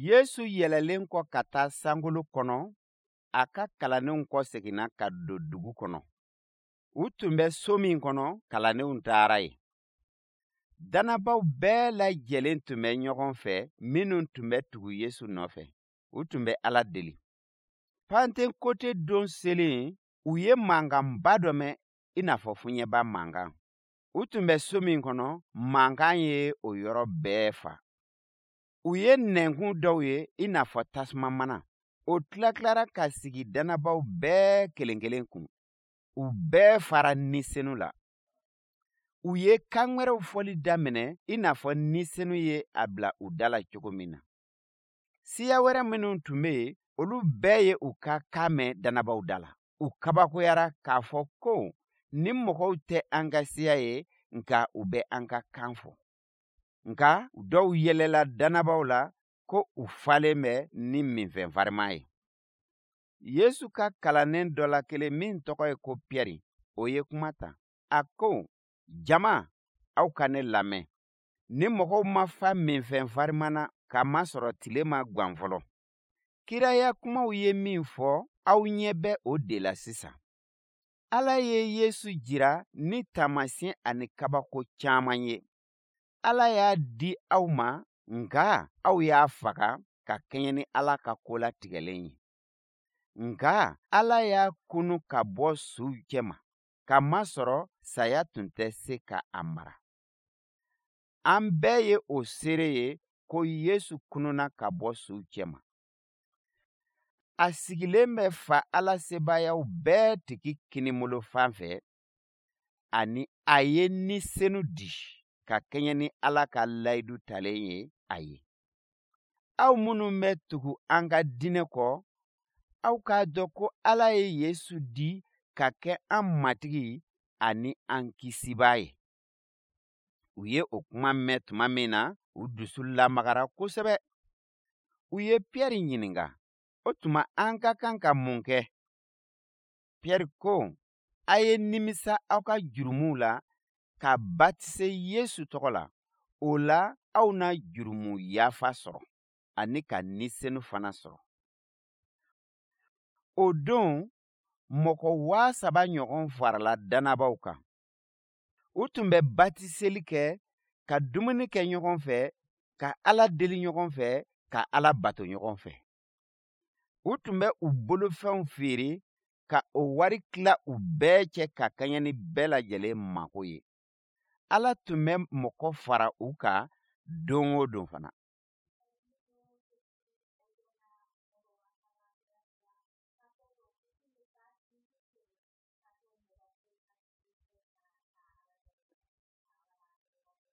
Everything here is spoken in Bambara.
Yesu yɛlɛlen kɔ ka taa sankolo kɔnɔ, a ka kalandenw kɔseginna ka don dugu kɔnɔ. U tun bɛ so min kɔnɔ, kalandenw taara yen. Dannabaw bɛɛ lajɛlen tun bɛ ɲɔgɔn fɛ minnu tun bɛ tugu Yesu nɔfɛ. U tun bɛ Ala deli. Pantekote don selen, u ye mankanba dɔ mɛn i n'a fɔ fiɲɛba mankan. U tun bɛ so min kɔnɔ, mankan ye o yɔrɔ bɛɛ fa. U ye nɛnkun dɔw ye i n'a fɔ tasuma mana. O tilatilara ka sigi dannabaw bɛɛ kelen kelen kun. U bɛɛ fara Ni Senu la. U ye kan wɛrɛw fɔli daminɛ i n'a fɔ Ni Senu ye a bila u da la cogo min na. Siya wɛrɛ minnu tun bɛ yen, olu bɛɛ ye u ka kan mɛn dannabaw da la. U kabakoyara k'a fɔ ko nin mɔgɔw tɛ an ka siya ye, nka u bɛ an ka kan fɔ. Nka dɔw yɛlɛla dannabaw la ko u falen bɛ ni minfɛn farima ye. Yesu ka kalannen dɔ la kelen min tɔgɔ ye ko Piyɛri, o ye kuma ta. A ko, jama, aw ka ne lamɛn. Ni mɔgɔw ma fa minfɛn farima na, k'a masɔrɔ tile ma gwan fɔlɔ. Kiraya kumaw ye min fɔ, aw ɲɛ bɛ o de la sisan. Ala ye Yesu jira ni taamasiyɛn ani kabako caman ye. Ala y'a di aw ma, nka aw y'a faga ka kɛɲɛ ni Ala ka ko latigɛlen ye. Nka Ala y'a kunu ka bɔ suw cɛma, k'a masɔrɔ saya tun tɛ se ka a mara. An bɛɛ ye o seere ye ko Yesu kununa ka bɔ suw cɛma. A sigilen bɛ Fa Ala sebaayaw bɛɛ tigi kininbolo fan fɛ, ani a ye Ni Senu di ka kɛɲɛ ni Ala ka layidu talen ye a ye. Aw minnu bɛ tugu an ka diinɛ kɔ, aw k'a dɔn ko Ala ye Yesu di ka kɛ an Matigi ani an Kisibaa ye. U ye o kuma mɛn tuma min na, u dusu lamagara kosɛbɛ. U ye Piyɛri ɲininka, o tuma an ka kan ka mun kɛ? Piyɛri ko, a ye nimisa aw ka jurumuw la ka batise Yesu tɔgɔ la. O la, aw na jurumu yafa sɔrɔ ani ka Ni Senu fana sɔrɔ. O don, mɔgɔ 3000 ɲɔgɔn farala dannabaw kan. U tun bɛ batiseli kɛ, ka dumuni kɛ ɲɔgɔn fɛ, ka Ala deli ɲɔgɔn fɛ, ka Ala bato ɲɔgɔn fɛ. U tun bɛ u bolofɛnw feere ka o wari tila u bɛɛ cɛ ka kɛɲɛ ni bɛɛ lajɛlen mako ye. Ala tun bɛ mɔgɔ fara u kan don o don fana.